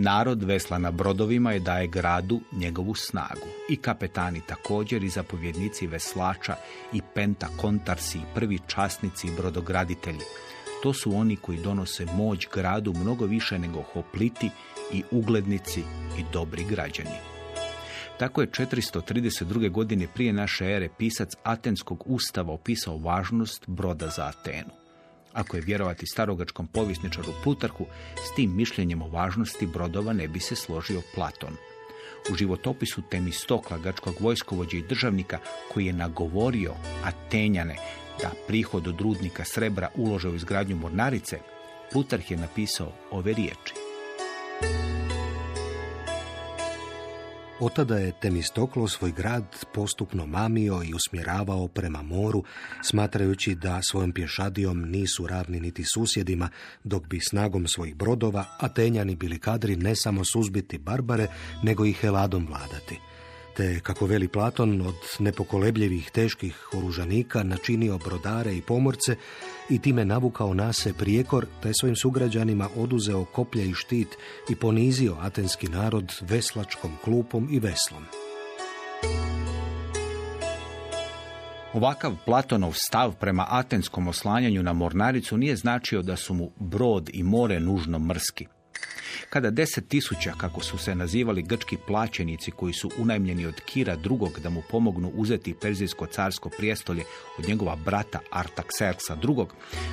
Narod vesla na brodovima i daje gradu njegovu snagu. I kapetani također, i zapovjednici veslača, i pentakontarsi, i prvi časnici i brodograditelji. To su oni koji donose moć gradu mnogo više nego hopliti i uglednici i dobri građani. Tako je 432. godine prije naše ere pisac Atenskog ustava opisao važnost broda za Atenu. Ako je vjerovati starogačkom povjesničaru Plutarhu, s tim mišljenjem o važnosti brodova ne bi se složio Platon. U životopisu Temistokla, grčkog vojskovođe i državnika, koji je nagovorio Atenjane da prihod od rudnika srebra ulože u izgradnju mornarice, Plutarh je napisao ove riječi. Otada je Temistoklo svoj grad postupno mamio i usmjeravao prema moru, smatrajući da svojom pješadijom nisu ravni niti susjedima, dok bi snagom svojih brodova Atenjani bili kadri ne samo suzbiti barbare, nego i Heladom vladati. Te, kako veli Platon, od nepokolebljivih teških oružanika načinio brodare i pomorce i time navukao na se prijekor, te svojim sugrađanima oduzeo koplje i štit i ponizio atenski narod veslačkom klupom i veslom. Ovakav Platonov stav prema atenskom oslanjanju na mornaricu nije značio da su mu brod i more nužno mrski. Kada 10.000, kako su se nazivali grčki plaćenici koji su unajmljeni od Kira II. Da mu pomognu uzeti Perzijsko carsko prijestolje od njegova brata Artakserksa II.,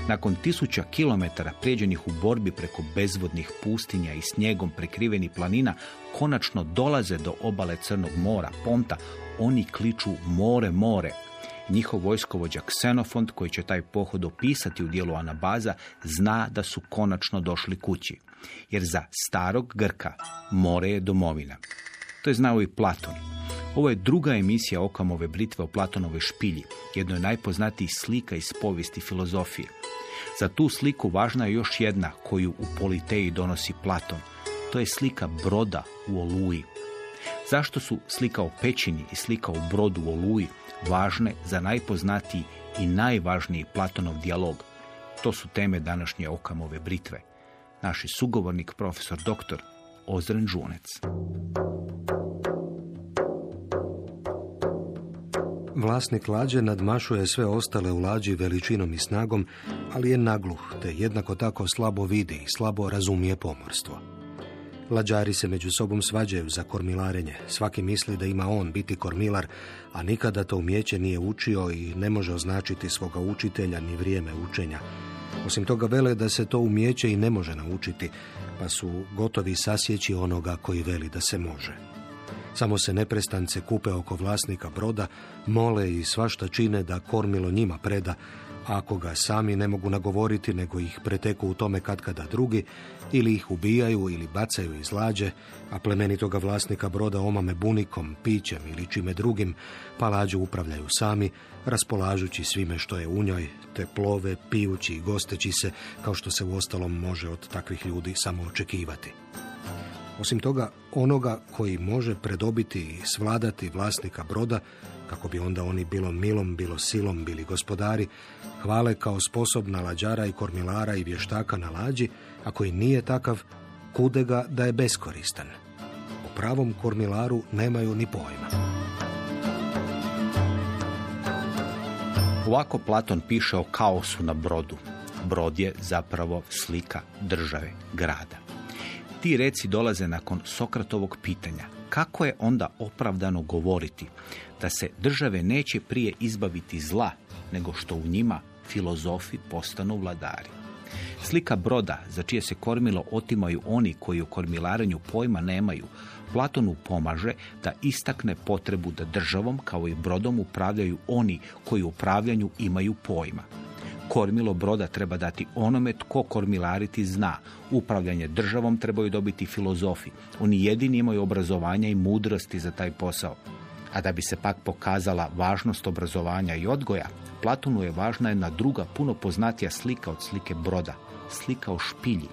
nakon 1000 kilometara prijeđenih u borbi preko bezvodnih pustinja i snijegom prekrivenih planina, konačno dolaze do obale Crnog mora, Ponta, oni kliču more, more. Njihov vojskovođa Ksenofont, koji će taj pohod opisati u dijelu Anabaza, zna da su konačno došli kući. Jer za starog Grka more je domovina. To je znao i Platon. Ovo je druga emisija Okamove britve o Platonovoj špilji, jednoj najpoznatijih slika iz povijesti filozofije. Za tu sliku važna je još jedna koju u Politeji donosi Platon. To je slika broda u oluji. Zašto su slika o pećini i slika o brodu u oluji važne za najpoznatiji i najvažniji Platonov dijalog? To su teme današnje Okamove britve. Naši sugovornik, profesor dr. Ozren Žunec. Vlasnik lađe nadmašuje sve ostale u lađi veličinom i snagom, ali je nagluh, te jednako tako slabo vidi i slabo razumije pomorstvo. Lađari se među sobom svađaju za kormilarenje. Svaki misli da ima on biti kormilar, a nikada to umijeće nije učio i ne može označiti svoga učitelja ni vrijeme učenja. Osim toga vele da se to umijeće i ne može naučiti, pa su gotovi sasjeći onoga koji veli da se može. Samo se neprestance kupe oko vlasnika broda, mole i svašta čine da kormilo njima preda, a ako ga sami ne mogu nagovoriti, nego ih preteku u tome katkada drugi, ili ih ubijaju ili bacaju iz lađe, a plemenitoga vlasnika broda omame bunikom, pićem ili čime drugim, pa lađu upravljaju sami, raspolažući svime što je u njoj, te plove, pijući i gosteći se, kao što se uostalom može od takvih ljudi samo očekivati. Osim toga, onoga koji može predobiti i svladati vlasnika broda, kako bi onda oni bilo milom, bilo silom bili gospodari, hvale kao sposobna lađara i kormilara i vještaka na lađi, a koji nije takav, kude ga da je beskoristan. O pravom kormilaru nemaju ni pojma. Ovako Platon piše o kaosu na brodu. Brod je zapravo slika države, grada. Ti reci dolaze nakon Sokratovog pitanja. Kako je onda opravdano govoriti da se države neće prije izbaviti zla, nego što u njima filozofi postanu vladari? Slika broda, za čije se kormilo otimaju oni koji u kormilarenju pojma nemaju, Platonu pomaže da istakne potrebu da državom kao i brodom upravljaju oni koji u upravljanju imaju pojma. Kormilo broda treba dati onome tko kormilariti zna. Upravljanje državom trebaju dobiti filozofi. Oni jedini imaju obrazovanja i mudrosti za taj posao. A da bi se pak pokazala važnost obrazovanja i odgoja, Platonu je važna jedna druga, puno poznatija slika od slike broda. Slika o špilji.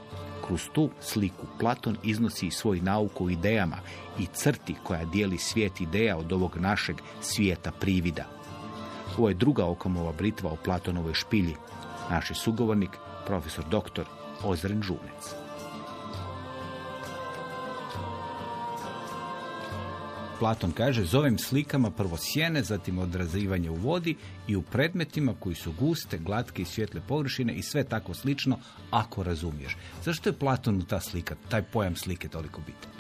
Kroz tu sliku Platon iznosi svoj nauku o idejama i crti koja dijeli svijet ideja od ovog našeg svijeta privida. Ovo je druga Okamova britva o Platonovoj špilji. Naš je sugovornik, profesor dr. Ozren Žunec. Platon kaže, zovem slikama prvo sjene, zatim odrazivanje u vodi i u predmetima koji su guste, glatke i svjetle površine i sve tako slično, ako razumiješ. Zašto je Platonu ta slika, taj pojam slike toliko bitan?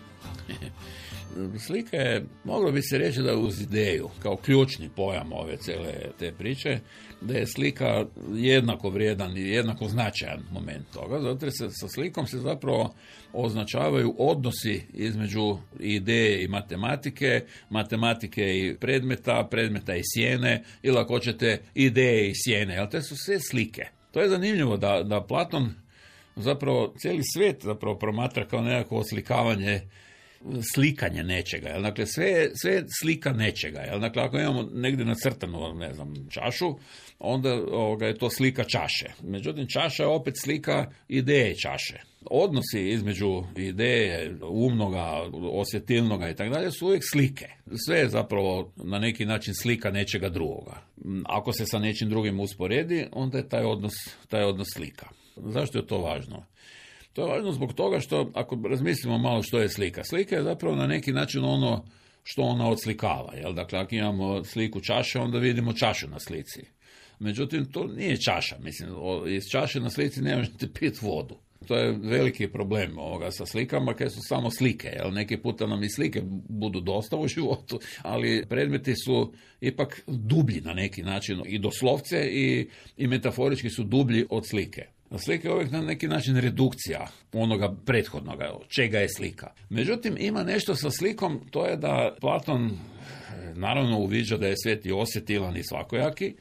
Slika je, moglo bi se reći da je uz ideju, kao ključni pojam ove cijele te priče, da je slika jednako vrijedan i jednako značajan moment toga, zato se sa slikom se zapravo označavaju odnosi između ideje i matematike i predmeta i sjene, ili ako hoćete ideje i sjene, ali te su sve slike. To je zanimljivo da Platon zapravo cijeli svijet zapravo promatra kao nekako oslikavanje, slikanje nečega, jel? Dakle, sve je slika nečega, jel? Dakle, ako imamo negdje nacrtanu, ne znam, čašu, onda je to slika čaše. Međutim, čaša je opet slika ideje čaše. Odnosi između ideje, umnoga, osjetilnoga i tako dalje su uvijek slike. Sve je zapravo na neki način slika nečega drugoga. Ako se sa nečim drugim usporedi, onda je taj odnos slika. Zašto je to važno? To je važno zbog toga što, ako razmislimo malo što je slika, slika je zapravo na neki način ono što ona odslikava. Jel? Dakle, ako imamo sliku čaše, onda vidimo čašu na slici. Međutim, to nije čaša. Mislim, iz čaše na slici ne možete piti vodu. To je veliki problem ovoga sa slikama, koje su samo slike. Jel? Neki puta nam i slike budu dosta u životu, ali predmeti su ipak dublji na neki način. I doslovce i metaforički su dublji od slike. Slika je uvijek na neki način redukcija onoga prethodnoga, čega je slika. Međutim, ima nešto sa slikom, to je da Platon naravno uviđa da je svijet i osjetilan i svakojaki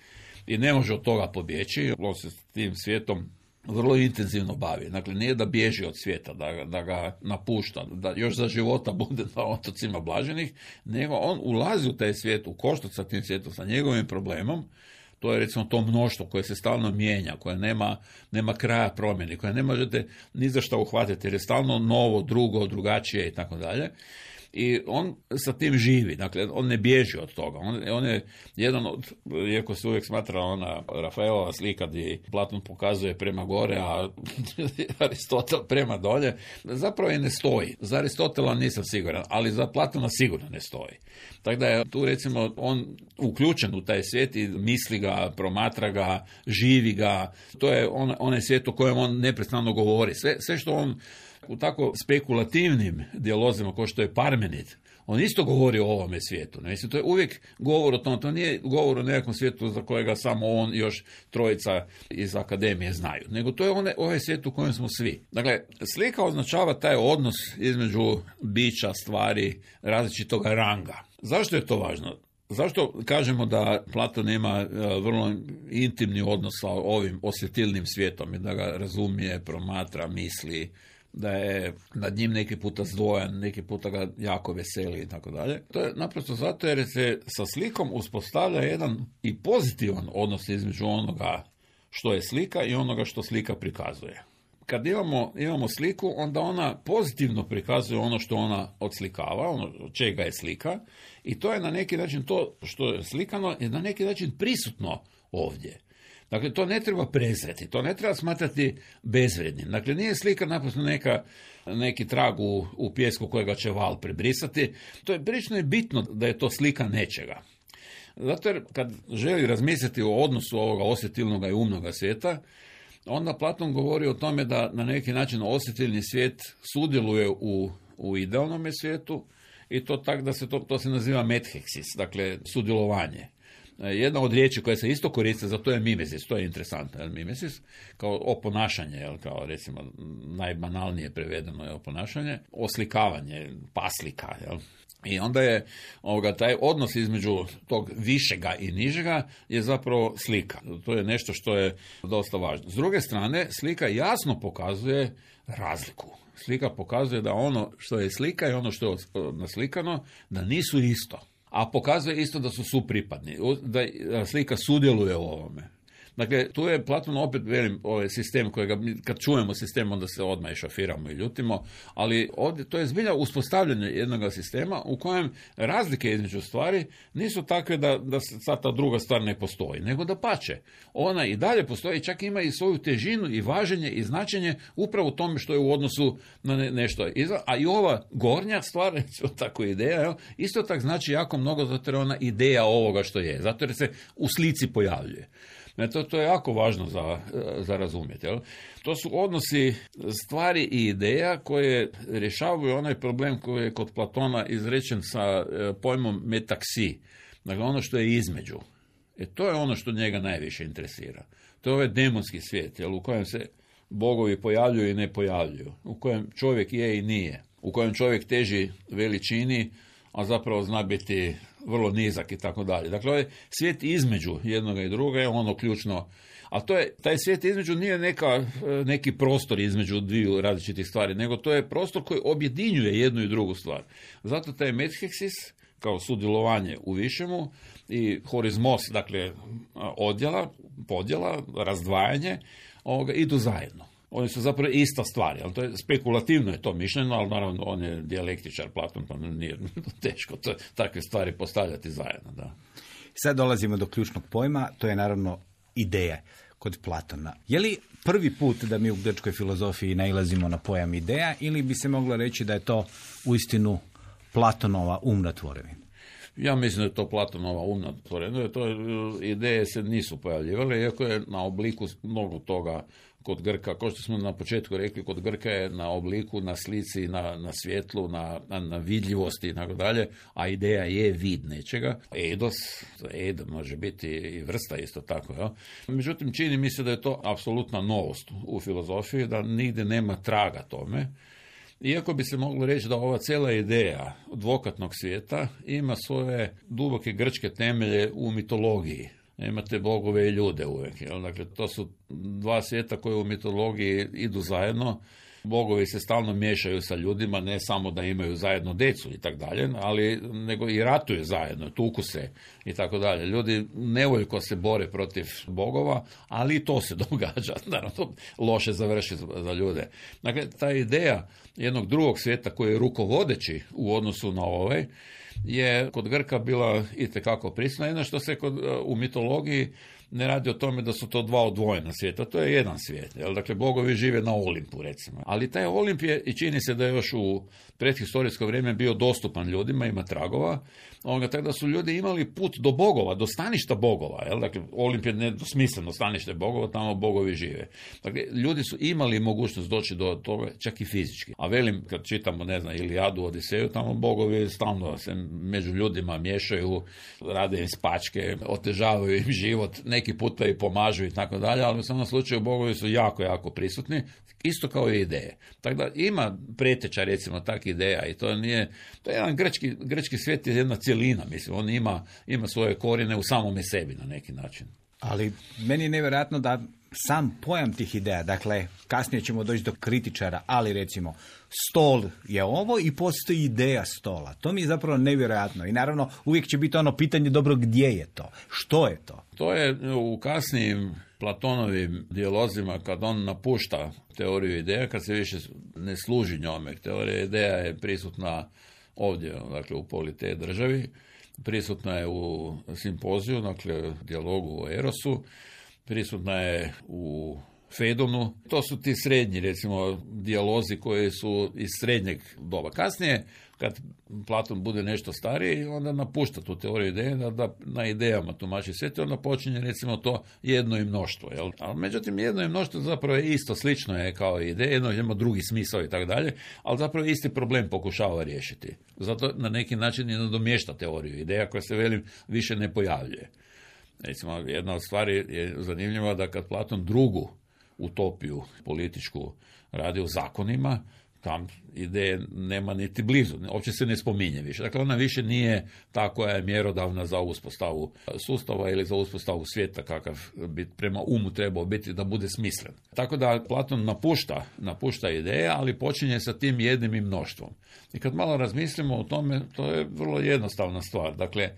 i ne može od toga pobjeći, on se s tim svijetom vrlo intenzivno bavi. Dakle, nije da bježi od svijeta, da ga napušta, da još za života bude na otocima blaženih, nego on ulazi u taj svijet, u koštac sa tim svijetom, sa njegovim problemom. To je recimo to mnoštvo koje se stalno mijenja, koje nema kraja promjeni, koje ne možete ni za što uhvatiti, jer je stalno novo, drugo, drugačije i tako dalje. I on sa tim živi, dakle, on ne bježi od toga. On je jedan od, iako se uvijek smatra ona Rafaelova slika gdje Platon pokazuje prema gore, a Aristotel prema dolje, zapravo i ne stoji. Za Aristotela nisam siguran, ali za Platona sigurno ne stoji. Tako da je tu recimo on uključen u taj svijet i misli ga, promatra ga, živi ga. To je onaj svijet o kojem on neprestano govori. Sve što on u tako spekulativnim dijalozima kao što je Parmenid, on isto govori o ovome svijetu. Mislim, to je uvijek govor o tom, to nije govor o nekakvom svijetu za kojega samo on i još trojica iz akademije znaju, nego to je ovaj svijet u kojem smo svi. Dakle, slika označava taj odnos između bića, stvari, različitog ranga. Zašto je to važno? Zašto kažemo da Platon ima vrlo intimni odnos sa ovim osjetilnim svijetom i da ga razumije, promatra, misli, da je nad njim neki puta zdvojan, neki puta ga jako veseli i tako dalje. To je naprosto zato jer se sa slikom uspostavlja jedan i pozitivan odnos između onoga što je slika i onoga što slika prikazuje. Kad imamo sliku, onda ona pozitivno prikazuje ono što ona odslikava, ono čega je slika, i to je na neki način, to što je slikano je na neki način prisutno ovdje. Dakle, to ne treba prezreti, to ne treba smatrati bezvrednim. Dakle, nije slika naprosto neki trag u pijesku kojega će val prebrisati. To je prilično je bitno da je to slika nečega. Zato jer kad želi razmisliti o odnosu ovoga osjetilnoga i umnoga svijeta, onda Platon govori o tome da na neki način osjetilni svijet sudjeluje u idealnome svijetu i to tak da se to se naziva metheksis, dakle sudjelovanje. Jedna od riječi koja se isto koriste za to je mimesis, to je interesantno, mimesis, kao oponašanje, kao recimo najbanalnije prevedeno je oponašanje, oslikavanje, paslika, jel? I onda je taj odnos između tog višega i nižega je zapravo slika. To je nešto što je dosta važno. S druge strane, slika jasno pokazuje razliku. Slika pokazuje da ono što je slika i ono što je naslikano, da nisu isto. A pokazuje isto da su supripadni, da slika sudjeluje u ovome. Dakle, tu je Platon opet, velim, ovaj sistem kojega kad čujemo sistem, onda se odmah i šafiramo i ljutimo, ali ovdje to je zbilja uspostavljanje jednog sistema u kojem razlike između stvari nisu takve da sad ta druga stvar ne postoji, nego da pače. Ona i dalje postoji, čak ima i svoju težinu i važenje i značenje upravo u tome što je u odnosu na nešto. A i ova gornja stvar, tako ideja, isto tak znači jako mnogo, zato je ona ideja ovoga što je, zato jer se u slici pojavljuje. To je jako važno za razumjeti. Jel? To su odnosi stvari i ideja koje rješavaju onaj problem koji je kod Platona izrečen sa pojmom metaksi. Dakle, ono što je između. To je ono što njega najviše interesira. To je ovaj demonski svijet, jel? U kojem se bogovi pojavljuju i ne pojavljuju. U kojem čovjek je i nije. U kojem čovjek teži veličini, a zapravo zna biti vrlo nizak i tako dalje. Dakle, ovaj svijet između jednoga i druga je ono ključno. A taj svijet između nije neki prostor između dviju različitih stvari, nego to je prostor koji objedinjuje jednu i drugu stvar. Zato taj metheksis, kao sudjelovanje u višemu, i horizmos, dakle, podjela, razdvajanje, idu zajedno. Oni su zapravo ista stvar, ali to je spekulativno je to mišljeno, ali naravno on je dijalektičar, Platon, pa nije teško takve stvari postavljati zajedno. Da. Sad dolazimo do ključnog pojma, to je naravno ideja kod Platona. Je li prvi put da mi u grčkoj filozofiji nailazimo na pojam ideja ili bi se moglo reći da je to uistinu Platonova umna tvorevina? Ja mislim da je to Platonova umna tvorevina. Ideje se nisu pojavljivale, iako je na obliku mnogo toga kod Grka, kao što smo na početku rekli, kod Grka je na obliku, na slici, na svjetlu, na vidljivosti i tako dalje, a ideja je vid nečega. Ed može biti i vrsta isto tako. Ja? Međutim, čini mi se da je to apsolutna novost u filozofiji, da nigdje nema traga tome. Iako bi se moglo reći da ova cijela ideja dvokatnog svijeta ima svoje duboke grčke temelje u mitologiji. Imate bogove i ljude uvijek. Jel? Dakle, to su dva svijeta koje u mitologiji idu zajedno. Bogovi se stalno miješaju sa ljudima, ne samo da imaju zajedno decu i tako dalje, ali nego i ratuju zajedno, tuku se i tako dalje. Ljudi nevoljko se bore protiv bogova, ali i to se događa. Naravno, to loše završi za ljude. Dakle, ta ideja jednog drugog svijeta koji je rukovodeći u odnosu na ovaj, je kod Grka bila itekako prisutna. Jedno što se u mitologiji ne radi o tome da su to dva odvojena svijeta, to je jedan svijet. Jel? Dakle, bogovi žive na Olimpu, recimo. Ali taj Olimp je, i čini se da je još u predhistorijsko vrijeme bio dostupan ljudima, ima tragova, tako da su ljudi imali put do bogova, do staništa bogova. Jel? Dakle, Olimp je nedosmisleno stanište bogova, tamo bogovi žive. Dakle, ljudi su imali mogućnost doći do toga, čak i fizički. A velim, kad čitamo, Ilijadu, Odiseju, tamo bogovi stalno se među ljudima miješaju, rade im spačke, otežavaju im život, neki puta i pomažu i tako dalje, ali u samom slučaju bogovi su jako, jako prisutni, isto kao i ideje. Tako da ima preteča, recimo, tak ideja i to je jedan grčki svijet je jedna cjelina, mislim, on ima svoje korijene u samome sebi na neki način. Ali meni je nevjerojatno da sam pojam tih ideja, dakle, kasnije ćemo doći do kritičara, ali recimo, stol je ovo i postoji ideja stola. To mi je zapravo nevjerojatno i naravno uvijek će biti ono pitanje, dobro, gdje je to? Što je to? To je u kasnijim Platonovim dijalozima, kad on napušta teoriju ideja, kad se više ne služi njome. Teorija ideja je prisutna ovdje, dakle, u Politei državi, prisutna je u Simpoziju, dakle, dijalogu o Erosu, prisutna je u Fedonu. To su ti srednji, recimo, dijalozi koji su iz srednjeg doba. Kasnije, kad Platon bude nešto stariji, onda napušta tu teoriju ideje, da na idejama tumači svijet, onda počinje, recimo, to jedno i mnoštvo. Jel? Ali, međutim, jedno i mnoštvo zapravo je isto, slično je kao ideja, jedno ima drugi smisao i tako dalje, ali zapravo isti problem pokušava riješiti. Zato na neki način i nadomješta teoriju ideja koja se, velim, više ne pojavljuje. Recimo, jedna od stvari je zanimljiva da kad Platon drugu utopiju političku radi o zakonima, tam ideje nema niti blizu, uopće se ne spominje više. Dakle, ona više nije ta koja je mjerodavna za uspostavu sustava ili za uspostavu svijeta kakav bi prema umu trebao biti da bude smislen. Tako da Platon napušta ideje, ali počinje sa tim jednim i mnoštvom. I kad malo razmislimo o tome, to je vrlo jednostavna stvar. Dakle,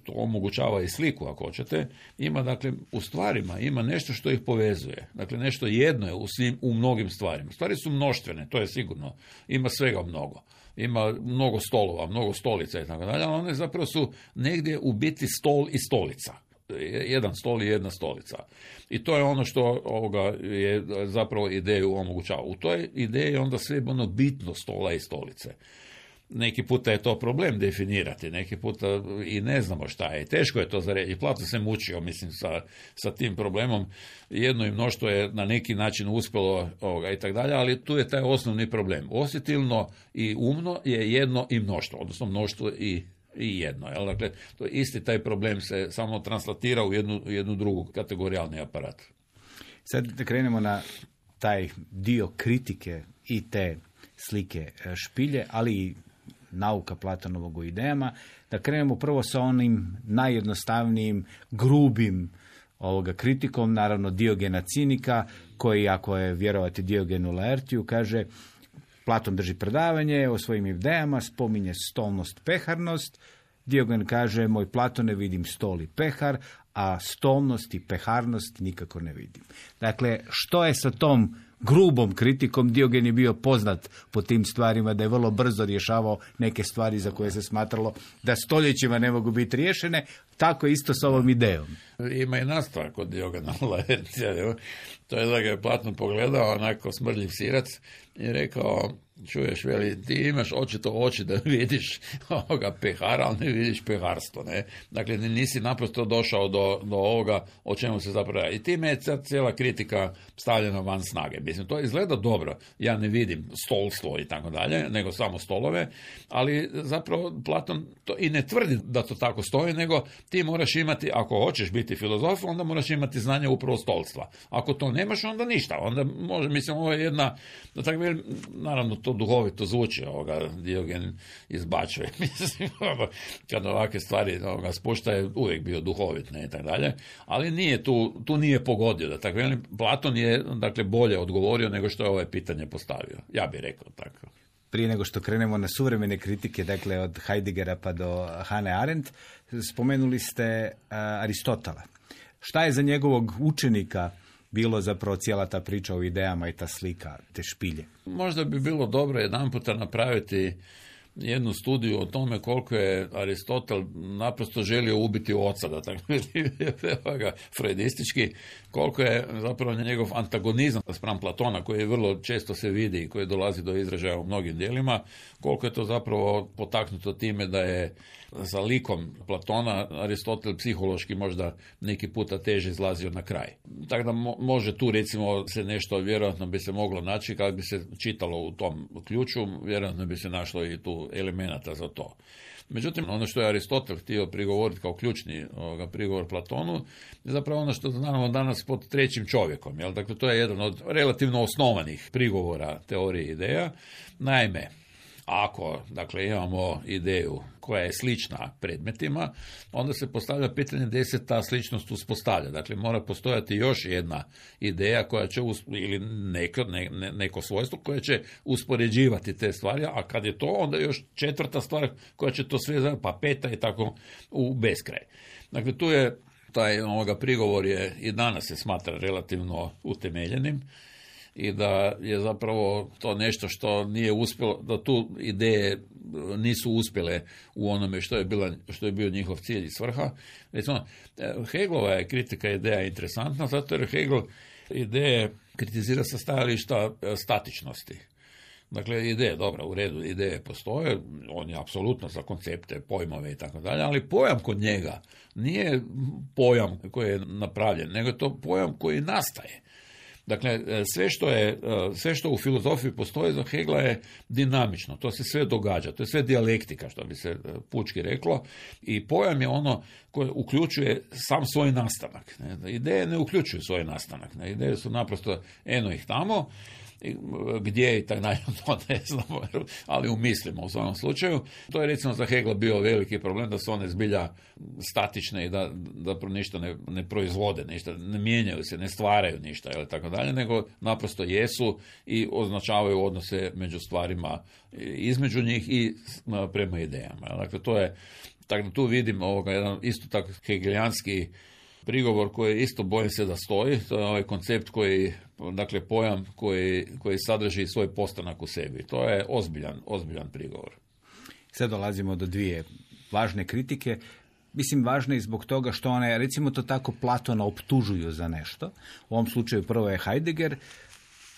to omogućava i sliku ako hoćete, ima dakle u stvarima, ima nešto što ih povezuje. Dakle, nešto jedno je u mnogim stvarima. Stvari su mnoštvene, to je sigurno. Ima svega mnogo. Ima mnogo stolova, mnogo stolica i tako dalje, ali one zapravo su negdje u biti stol i stolica. Jedan stol i jedna stolica. I to je ono što je zapravo ideju omogućava. U toj ideji je onda sve ono bitno stola i stolice. Neki puta je to problem definirati, neki puta i ne znamo šta je. Teško je to za reći. Platon se mučio, mislim, sa tim problemom. Jedno i mnoštvo je na neki način uspjelo i tako dalje, ali tu je taj osnovni problem. Osjetilno i umno je jedno i mnoštvo, odnosno mnoštvo i jedno. Jel? Dakle, to je isti taj problem se samo translatira u jednu drugu kategorijalni aparat. Sad da krenemo na taj dio kritike i te slike špilje, ali i nauka Platonovog o idejama, da krenemo prvo sa onim najjednostavnijim, grubim kritikom, naravno Diogena Cinika, koji, ako je vjerovati Diogenu Laertiju, kaže, Platon drži predavanje o svojim idejama, spominje stolnost, peharnost. Diogen kaže, moj Platone, vidim stol i pehar, a stolnost i peharnost nikako ne vidim. Dakle, što je sa tom grubom kritikom? Diogen je bio poznat po tim stvarima, da je vrlo brzo rješavao neke stvari za koje se smatralo da stoljećima ne mogu biti riješene, tako isto s ovom idejom. Ima i nastavak kod Diogena Laertija. To je da ga je Platon pogledao onako smrdljiv sirac i rekao, čuješ, veli, ti imaš očito oči da vidiš ovoga pehara, ali ne vidiš peharstvo. Ne? Dakle, nisi naprosto došao do ovoga o čemu se zapravo radi. I time je cijela kritika stavljena van snage. Mislim, to izgleda dobro. Ja ne vidim stolstvo i tako dalje, nego samo stolove, ali zapravo Platon to i ne tvrdi da to tako stoji, nego ti moraš imati, ako hoćeš biti filozof, onda moraš imati znanje upravo stolstva. Ako to nemaš, onda ništa. Onda može, mislim, ovo je jedna, da tako velim, naravno to duhovito zvuči, Diogen izbačuje, mislim, kad ovakve stvari spušta je uvijek bio duhovit, ne, i tako dalje, ali nije tu nije pogodio, da tako velim, Platon je, dakle, bolje odgovorio nego što je ovo pitanje postavio, ja bih rekao tako. Prije nego što krenemo na suvremene kritike, dakle od Heideggera pa do Hannah Arendt, spomenuli ste Aristotela. Šta je za njegovog učenika bilo zapravo cijela ta priča o idejama i ta slika, te špilje? Možda bi bilo dobro jedanputa napraviti jednu studiju o tome koliko je Aristotel naprosto želio ubiti oca, da tako freudistički, koliko je zapravo njegov antagonizam spram Platona, koji vrlo često se vidi i koji dolazi do izražaja u mnogim dijelima, koliko je to zapravo potaknuto time da je sa likom Platona Aristotel psihološki možda neki puta teže izlazio na kraj. Tako da može tu recimo se nešto vjerojatno bi se moglo naći, kad bi se čitalo u tom ključu, vjerojatno bi se našlo i tu elemenata za to. Međutim, ono što je Aristotel htio prigovoriti kao ključni prigovor Platonu je zapravo ono što znamo danas pod trećim čovjekom. Jel? Dakle, to je jedan od relativno osnovanih prigovora teorije ideja. Naime, ako, dakle, imamo ideju koja je slična predmetima, onda se postavlja pitanje gdje se ta sličnost uspostavlja. Dakle, mora postojati još jedna ideja koja će, ili neko svojstvo koje će uspoređivati te stvari, a kad je to, onda još četvrta stvar koja će to sve, pa peta i tako u beskraj. Dakle, tu je taj prigovor je i danas se smatra relativno utemeljenim, i da je zapravo to nešto što nije uspjelo, da tu ideje nisu uspjele u onome što je bio njihov cilj i svrha. Recimo, Hegelova je kritika ideja interesantna, zato jer Hegel ideje kritizira sa stajališta statičnosti. Dakle, ideje, dobro, u redu, ideje postoje, on je apsolutno za koncepte, pojmove i tako dalje, ali pojam kod njega nije pojam koji je napravljen, nego je to pojam koji nastaje. Dakle, sve što u filozofiji postoji za Hegla je dinamično, to se sve događa, to je sve dijalektika, što bi se pučki reklo, i pojam je ono koje uključuje sam svoj nastanak. Ideje ne uključuju svoj nastanak, ideje su naprosto eno ih tamo, Gdje i tak dalje, to ne znamo, ali umislimo u svakom slučaju. To je recimo za Hegla bio veliki problem, da su one zbilja statične i da ništa ne proizvode, ništa, ne mijenjaju se, ne stvaraju ništa ili tako dalje, nego naprosto jesu i označavaju odnose među stvarima između njih i prema idejama. Dakle, to je, tako da tu vidim jedan isto tako hegelijanski prigovor koji isto bojim se da stoji, to je ovaj koncept koji, dakle pojam koji sadrži svoj postanak u sebi. To je ozbiljan prigovor. Sad dolazimo do dvije važne kritike. Mislim, važne i zbog toga što one, recimo to tako, Platona optužuju za nešto. U ovom slučaju prvo je Heidegger.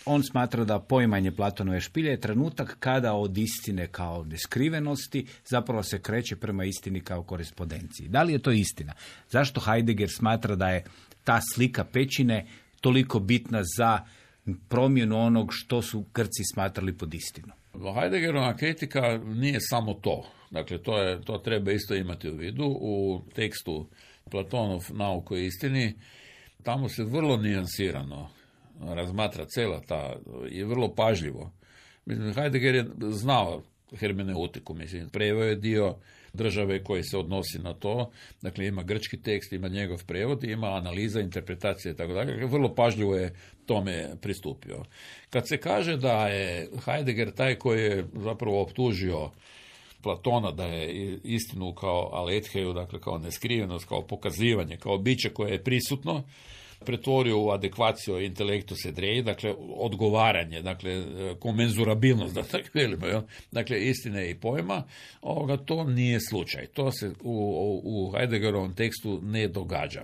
On smatra da poimanje Platonove špilje je trenutak kada od istine kao neskrivenosti zapravo se kreće prema istini kao korespondenciji. Da li je to istina? Zašto Heidegger smatra da je ta slika pećine toliko bitna za promjenu onog što su Grci smatrali pod istinu? Heideggerova kritika nije samo to. Dakle, to treba isto imati u vidu. U tekstu Platonov Nauk o istini, tamo se vrlo nijansirano razmatra cela ta i vrlo pažljivo. Mislim, Heidegger je znao hermeneutiku, mislim, preveo je dio države koji se odnosi na to, dakle ima grčki tekst, ima njegov prevod, ima analiza, interpretacija i tako dalje, vrlo pažljivo je tome pristupio. Kad se kaže da je Heidegger taj koji je zapravo optužio Platona da je istinu kao aletheju, dakle kao neskrivenost, kao pokazivanje, kao biće koje je prisutno, pretvorio u adekvaciju intelektus et rei, dakle odgovaranje, dakle komenzurabilnost, da tako velimo, dakle istine i pojma, to nije slučaj. To se u Heideggerovom tekstu ne događa.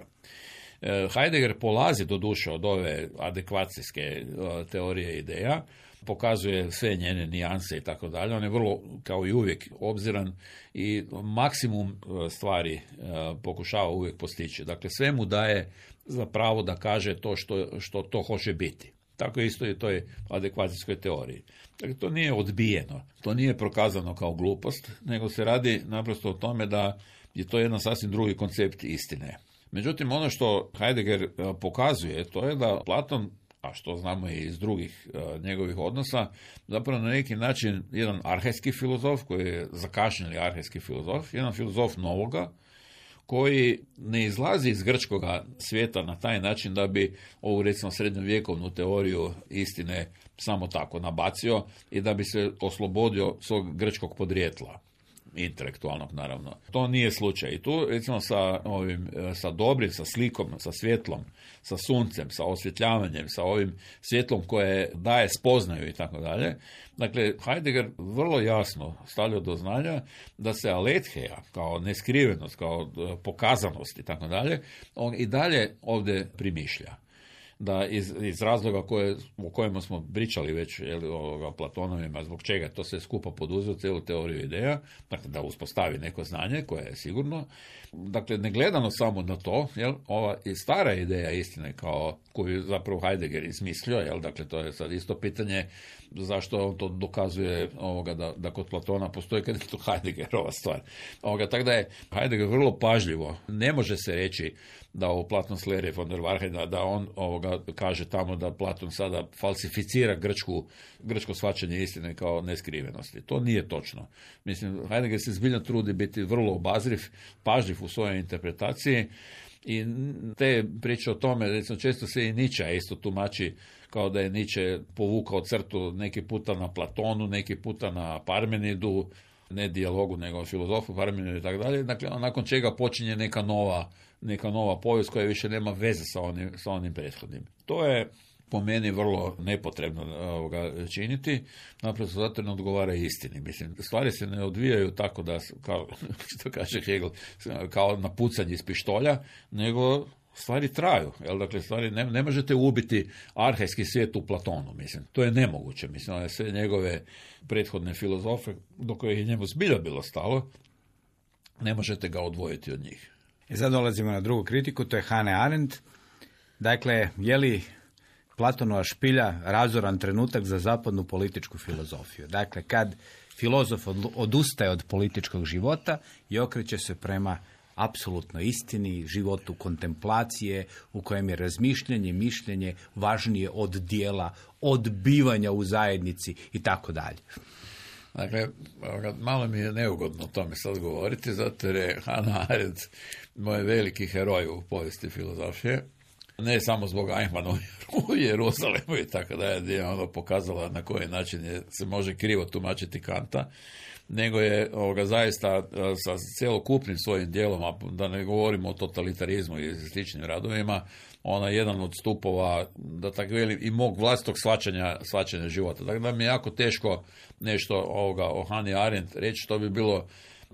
Heidegger polazi doduše od ove adekvacijske teorije ideja, pokazuje sve njene nijanse i tako dalje. On je vrlo, kao i uvijek, obziran i maksimum stvari pokušava uvijek postići. Dakle, sve mu daje za pravo da kaže to što to hoće biti. Tako isto i toj adekvacijskoj teoriji. Dakle, to nije odbijeno, to nije prokazano kao glupost, nego se radi naprosto o tome da je to jedan sasvim drugi koncept istine. Međutim, ono što Heidegger pokazuje, to je da Platon, a što znamo i iz drugih njegovih odnosa, zapravo na neki način jedan arhejski filozof, koji je zakašnjeli arhejski filozof, jedan filozof novoga, koji ne izlazi iz grčkoga svijeta na taj način da bi ovu, recimo, srednjovjekovnu teoriju istine samo tako nabacio i da bi se oslobodio svog grčkog podrijetla, intelektualnog naravno. To nije slučaj. I tu, recimo, sa dobrim, sa slikom, sa svjetlom, sa suncem, sa osvjetljavanjem, sa ovim svjetlom koje daje spoznaju i tako dalje. Dakle, Heidegger vrlo jasno stavlja do znanja da se aletheja, kao neskrivenost, kao pokazanost i tako dalje, on i dalje ovdje primišlja. Da iz razloga o kojima smo pričali već o Platonovima, zbog čega to se skupa poduzeo cijelu teoriju ideja, dakle da uspostavi neko znanje koje je sigurno. Dakle, ne gledano samo na to, ova i stara ideja istine kao koju zapravo Heidegger izmislio, dakle to je sad isto pitanje zašto on to dokazuje da kod Platona postoji kad je to Heideggerova stvar. Tako da je Heidegger vrlo pažljivo, ne može se reći da u Platon Slere von der Wahrheit, da on kaže tamo da Platon sada falsificira grčko shvaćanje istine kao neskrivenosti. To nije točno. Mislim, Heidegger se zbiljno trudi biti vrlo obazriv, pažljiv u svojoj interpretaciji i te priče o tome, recimo, često se i Nietzsche isto tumači kao da je Nietzsche povukao crtu neki puta na Platonu, neki puta na Parmenidu, ne dijalogu, nego filozofu Parmenidu i tako dalje. Dakle, nakon čega počinje neka nova povijest koja više nema veze sa onim prethodnim. To je po meni vrlo nepotrebno činiti, naprosto zato ne odgovara istini. Mislim, stvari se ne odvijaju tako da, kao što kaže Hegel, kao na pucanje iz pištolja, nego stvari traju. Dakle, stvari ne možete ubiti arhejski svijet u Platonu. Mislim, to je nemoguće. Mislim, sve njegove prethodne filozofe, do kojih je njemu zbilja bilo stalo, ne možete ga odvojiti od njih. I sad dolazimo na drugu kritiku, to je Hannah Arendt. Dakle, je li Platonova špilja razoran trenutak za zapadnu političku filozofiju? Dakle, kad filozof odustaje od političkog života i okreće se prema apsolutno istini, životu kontemplacije u kojem je razmišljanje, mišljenje važnije od dijela, od bivanja u zajednici i tako dalje. Dakle, malo mi je neugodno o tome sad govoriti, zato jer je Hannah Arendt moj veliki heroj u povijesti filozofije. Ne samo zbog Eichmanna u Jeruzalemu i tako da je ono pokazala na koji način se može krivo tumačiti Kanta, nego je zaista sa cjelokupnim svojim dijelom, da ne govorimo o totalitarizmu i sličnim radovima, ona je jedan od stupova, da tako velim, i mog vlastitog shvaćanja života. Dakle, da mi je jako teško nešto o Hannah Arendt reći, što bi bilo,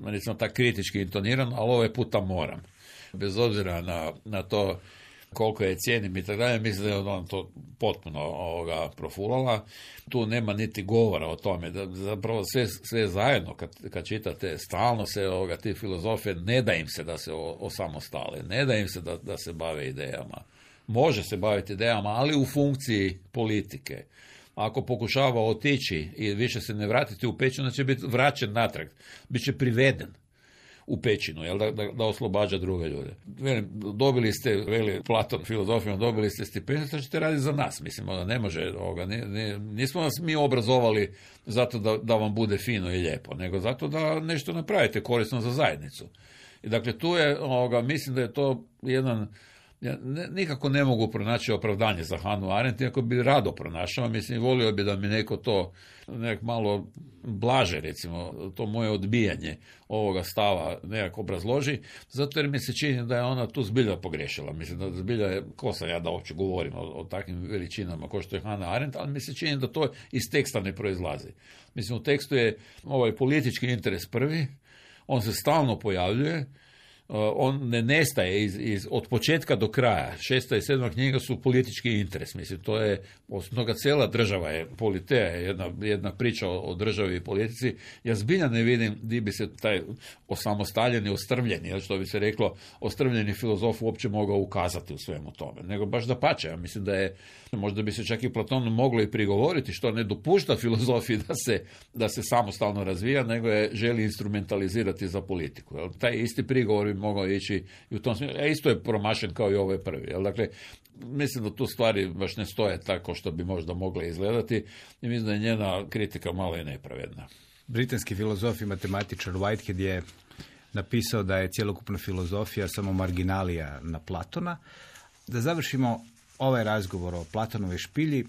recimo, tako kritički intonirano, ali ovaj puta moram. Bez obzira na to koliko je cijenim i tako dalje, mislim da je on to potpuno profulala. Tu nema niti govora o tome, da zapravo sve zajedno kad čitate, stalno se ti filozofe, ne da im se da se osamostale, ne da im se da se bave idejama. Može se baviti idejama, ali u funkciji politike. Ako pokušava otići i više se ne vratiti u pećinu, će biti vraćen natrag, bit će priveden u pećinu, jel, da oslobađa druge ljude. Dobili ste, Platon filozofijom, dobili ste stipendiju, što ćete raditi za nas. Mislim, ne može, nismo nas mi obrazovali zato da vam bude fino i lijepo, nego zato da nešto napravite korisno za zajednicu. I dakle, tu je, mislim da je to jedan, ja nikako ne mogu pronaći opravdanje za Hannah Arendt, iako bi rado pronašao, mislim, volio bi da mi neko to malo blaže, recimo, to moje odbijanje ovoga stava nekako obrazloži, zato jer mi se čini da je ona tu zbilja pogrešila. Mislim da zbilja je, ko sam ja da uopće govorim o takvim veličinama kao što je Hannah Arendt, ali mi se čini da to iz teksta ne proizlazi. Mislim, u tekstu je ovaj politički interes prvi, on se stalno pojavljuje, on ne nestaje od početka do kraja. 6. i 7. knjiga su politički interes. Mislim, to je, osim toga, cijela država je, Politeja je jedna priča o državi i politici. Ja zbilja ne vidim gdje bi se taj osamostaljeni, ostrvljeni, što bi se reklo, ostrvljeni filozof uopće mogao ukazati u svemu tome. Nego baš dapače. Ja mislim da je, možda bi se čak i Platonu moglo i prigovoriti što ne dopušta filozofiji da se samostalno razvija, nego je želi instrumentalizirati za politiku. Jel? Taj isti prigovor bi mogao ići i u tom smislu. Isto je promašen kao i ovaj prvi. Jel? Dakle, mislim da tu stvari baš ne stoje tako što bi možda mogle izgledati i mislim da je njena kritika malo i nepravedna. Britanski filozof i matematičar Whitehead je napisao da je cjelokupna filozofija samo marginalija na Platona. Da završimo ovaj razgovor o Platonovoj špilji.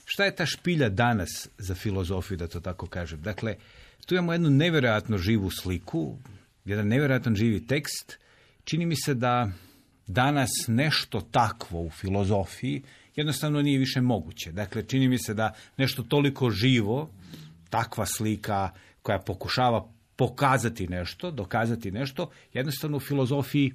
Šta je ta špilja danas za filozofiju, da to tako kažem? Dakle, tu imamo jednu nevjerojatno živu sliku, jedan nevjerojatan živi tekst. Čini mi se da danas nešto takvo u filozofiji jednostavno nije više moguće. Dakle, čini mi se da nešto toliko živo, takva slika koja pokušava pokazati nešto, dokazati nešto, jednostavno u filozofiji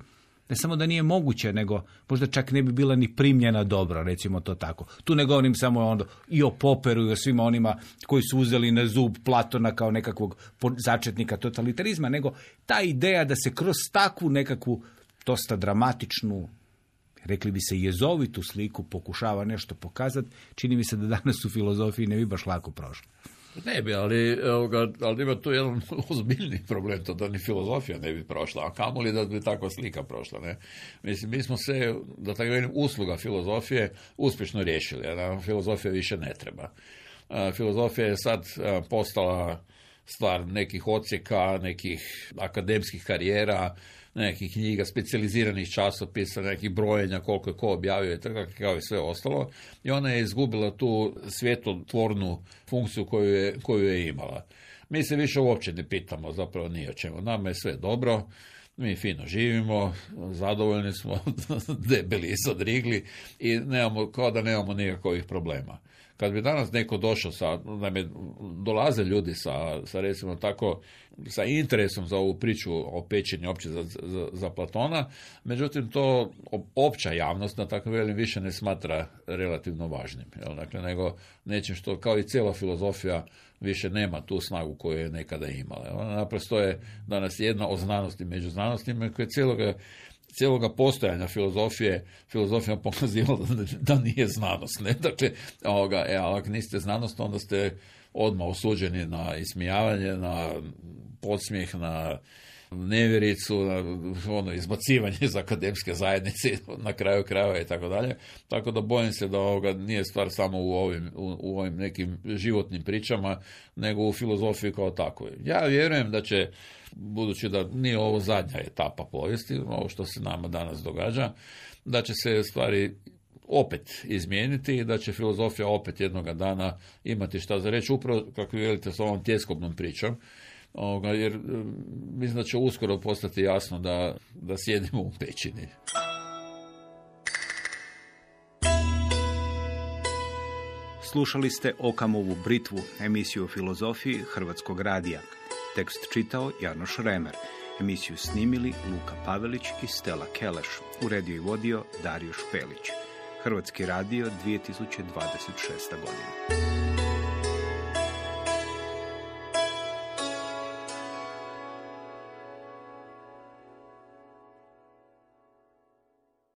ne samo da nije moguće, nego možda čak ne bi bila ni primljena dobro, recimo to tako. Tu ne govorim samo i o Popperu i o svima onima koji su uzeli na zub Platona kao nekakvog začetnika totalitarizma, nego ta ideja da se kroz takvu nekakvu dosta dramatičnu, rekli bi se jezovitu sliku, pokušava nešto pokazati, čini mi se da danas u filozofiji ne bi baš lako prošlo. Ne bi, ali ima tu jedan ozbiljni problem, to da ni filozofija ne bi prošla, a kamoli da bi takva slika prošla. Ne? Mislim, mi smo se, da tako velim, usluga filozofije uspješno riješili, a nam filozofija više ne treba. Filozofija je sad postala stvar nekih odsjeka, nekih akademskih karijera, nekih knjiga, specijaliziranih časopisa, nekih brojenja, koliko je ko objavio i tako kao i sve ostalo. I ona je izgubila tu svjetotvornu funkciju koju je imala. Mi se više uopće ne pitamo zapravo ni o čemu. Nama je sve dobro, mi fino živimo, zadovoljni smo, debeli i zadrigli i kao da nemamo nikakvih problema. Kad bi danas neko došao dolaze ljudi sa recimo tako, sa interesom za ovu priču o pećini opće za Platona, međutim to opća javnost, na tako velim, više ne smatra relativno važnim. Jel? Dakle, nego nečim što, kao i cijela filozofija, više nema tu snagu koju je nekada imala. Ona naprosto je danas jedna od znanosti među znanostima koja je cijeloga postojanja filozofija pokazivala da nije znanost. Ne? Dakle, ako niste znanost, onda ste odmah osuđeni na ismijavanje, na podsmijeh, na nevjericu, na izbacivanje iz akademske zajednice na kraju krajeva i tako dalje. Tako da bojim se da nije stvar samo u ovim nekim životnim pričama, nego u filozofiji kao takvoj. Ja vjerujem da će, budući da nije ovo zadnja etapa povijesti, ovo što se nama danas događa, da će se stvari opet izmijeniti i da će filozofija opet jednoga dana imati šta za reći, upravo kako vi velite s ovom tjeskobnom pričom, jer mislim da će uskoro postati jasno da sjedimo u pećini. Slušali ste Okamovu britvu, emisiju o filozofiji Hrvatskog radija. Tekst čitao Janoš Remer. Emisiju snimili Luka Pavelić i Stella Keleš. Uredio i vodio Dario Špelić. Hrvatski radio 2026. godina.